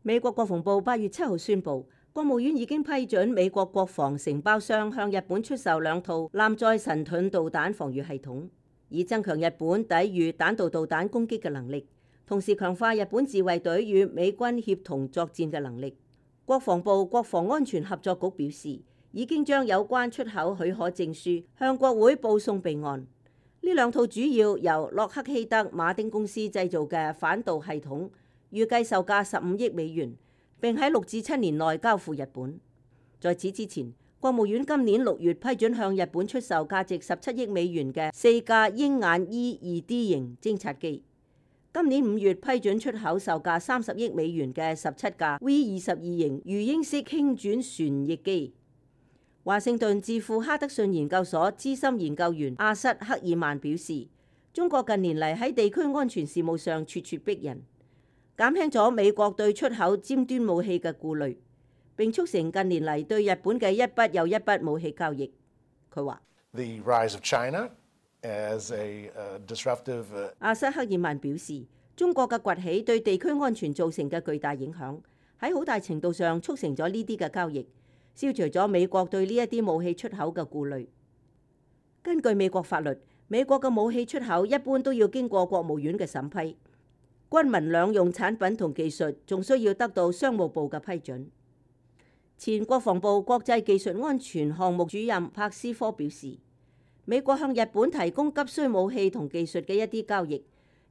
美國國防部8月7號宣布，國務院已經批准美國國防承包商向日本出售2套艦載神盾導彈防禦系統，以增強日本抵禦彈道導彈攻擊嘅能力，同時強化日本自衛隊與美軍協同作戰嘅能力。國防部國防安全合作局表示，已經將有關出口許可證書向國會報送備案。呢2套主要由洛克希德馬丁公司製造嘅反導系統，預計售價15億美元，並喺6至7年內交付日本。在此之前，國務院今年6月批准向日本出售價值17億美元嘅4架鷹眼 E-2D 型偵察機。今年5月批准出口售價30億美元嘅17架 V-22型魚鷹式輕轉旋翼機。華盛頓智庫哈德遜研究所資深研究員阿瑟克爾曼表示，中國近年嚟喺地區安全事務上咄咄逼人，減輕咗美國對出口尖端武器嘅顧慮，並促成近年嚟對日本嘅一筆又一筆武器交易。佢話：阿瑟克爾曼表示，中國嘅崛起對地區安全造成嘅巨大影響，喺好大程度上促成咗呢啲嘅交易，消除咗美國對呢一啲武器出口嘅顧慮。根據美國法律，美國嘅武器出口一般都要經過國務院嘅審批，軍民兩用產品同技術仲需要得到商務部嘅批准。前國防部國際技術安全項目主任柏斯科表示，美國向日本提供急需武器同技術嘅一啲交易，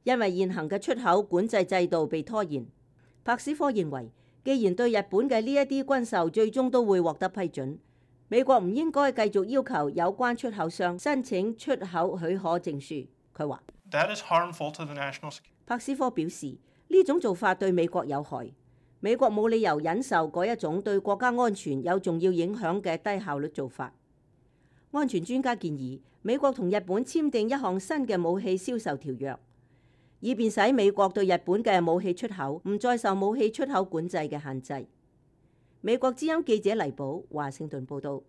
因為現行嘅出口管制制度被拖延。柏斯科認為，既然對日本嘅呢一啲軍售最終都會獲得批准，美國唔應該繼續要求有關出口商申請出口許可證書。佢話：柏斯科表示，呢種做法對美國有害，美國冇理由忍受嗰一種對國家安全有重要影響嘅低效率做法。安全專家建議美國同日本簽訂一項新嘅武器銷售條約，以便使美國對日本嘅武器出口唔再受武器出口管制嘅限制。美國之音記者黎寶華盛頓報道。